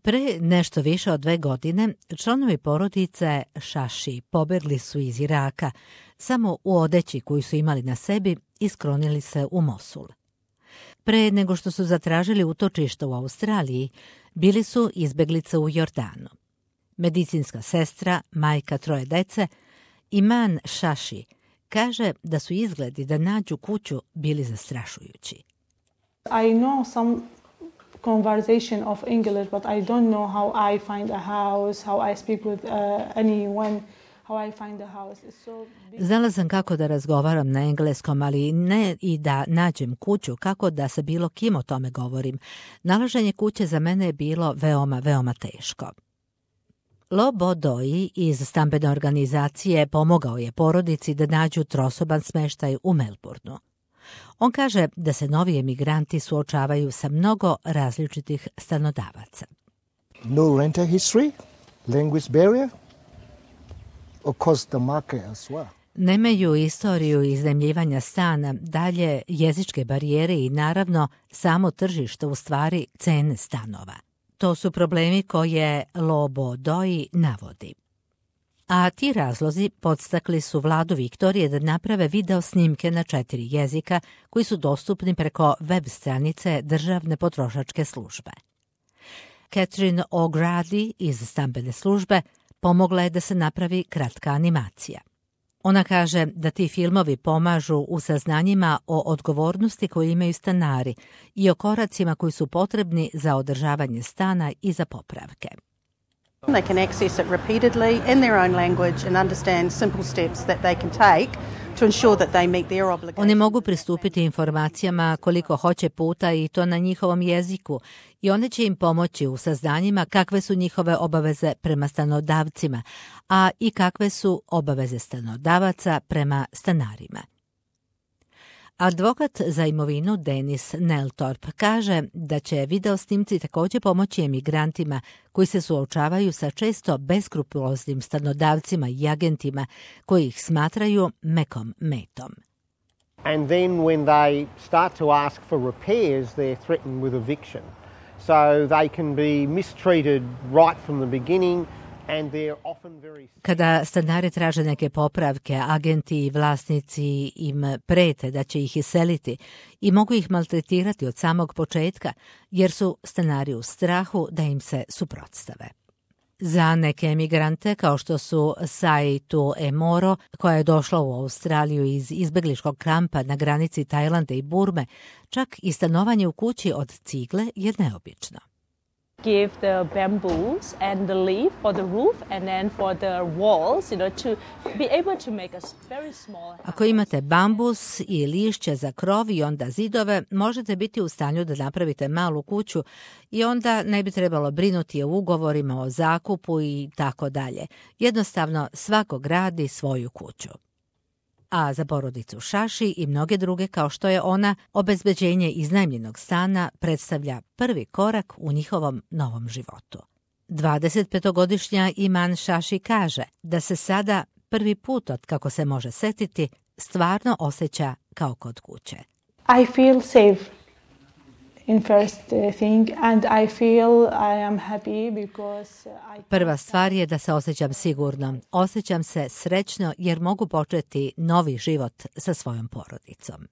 Pre nešto više od 2 godine članovi porodice Šaši pobegli su iz Iraka samo u odeći koju su imali na sebi i sklonili se u Mosul. Pre nego što su zatražili utočište u Australiji, bili su izbeglice u Jordanu. Medicinska sestra, majka 3 dece, Iman Šaši, kaže da su izgledi da nađu kuću bili zastrašujući. I know some conversation of English, but I don't know how I find a house, how I speak with anyone, how I find a house. Znala sam kako da razgovaram na engleskom, ali ne i da nađem kuću, kako da sa bilo kim o tome govorim. Nalaženje kuće za mene je bilo veoma, veoma teško. Lo Bodoi iz stambene organizacije pomogao je porodici da nađu trosoban smeštaj u Melbourneu. On kaže da se novi emigranti suočavaju sa mnogo različitih stanodavaca. No rental history, language barrier, of course the market as well. Nemaju istoriju iznajmljivanja stana, dalje jezičke barijere i naravno samo tržište, u stvari cene stanova. To su problemi koje Lo Bodoi navodi. A ti razlozi podstakli su vladu Viktorije da naprave video snimke na 4 jezika koji su dostupni preko web stranice Državne potrošačke službe. Catherine O'Grady iz stambene službe pomogla je da se napravi kratka animacija. Ona kaže da ti filmovi pomažu u saznanjima o odgovornosti koju imaju stanari i o koracima koji su potrebni za održavanje stana i za popravke. They can access it repeatedly in their own language and understand simple steps that they can take to ensure that they meet their obligations. Oni mogu pristupiti informacijama koliko hoće puta i to na njihovom jeziku i one će im pomoći u saznanjima kakve su njihove obaveze prema stanodavcima, a i kakve su obaveze stanodavaca prema stanarima. Advokat za imovinu Denis Neltorp kaže da će video snimci također pomoći emigrantima koji se suočavaju sa često beskrupuloznim stanodavcima i agentima koji ih smatraju mekom metom. And then when they start to ask for repairs, they're threatened with eviction. So they can be mistreated right from the beginning. Kada stanari traže neke popravke, agenti i vlasnici im prete da će ih iseliti i mogu ih maltretirati od samog početka, jer su stanari u strahu da im se suprotstave. Za neke emigrante, kao što su Saitu Emoro, koja je došla u Australiju iz izbegličkog kampa na granici Tajlanda i Burme, čak i stanovanje u kući od cigle je neobično. Give the bamboos and the leaf for the roof and then for the walls, to be able to make a very small. Ako imate bambus i lišće za krov i onda zidove, možete biti u stanju da napravite malu kuću i onda ne bi trebalo brinuti o ugovorima o zakupu i tako dalje. Jednostavno svako gradi svoju kuću. A za porodicu Šaši i mnoge druge kao što je ona, obezbeđenje iznajmljenog stana predstavlja prvi korak u njihovom novom životu. 25-godišnja Iman Šaši kaže da se sada prvi put od kako se može setiti stvarno osjeća kao kod kuće. I feel safe in first thing and I feel I am happy because Prva stvar je da se osjećam sigurno. Osjećam se srećno jer mogu početi novi život sa svojom porodicom.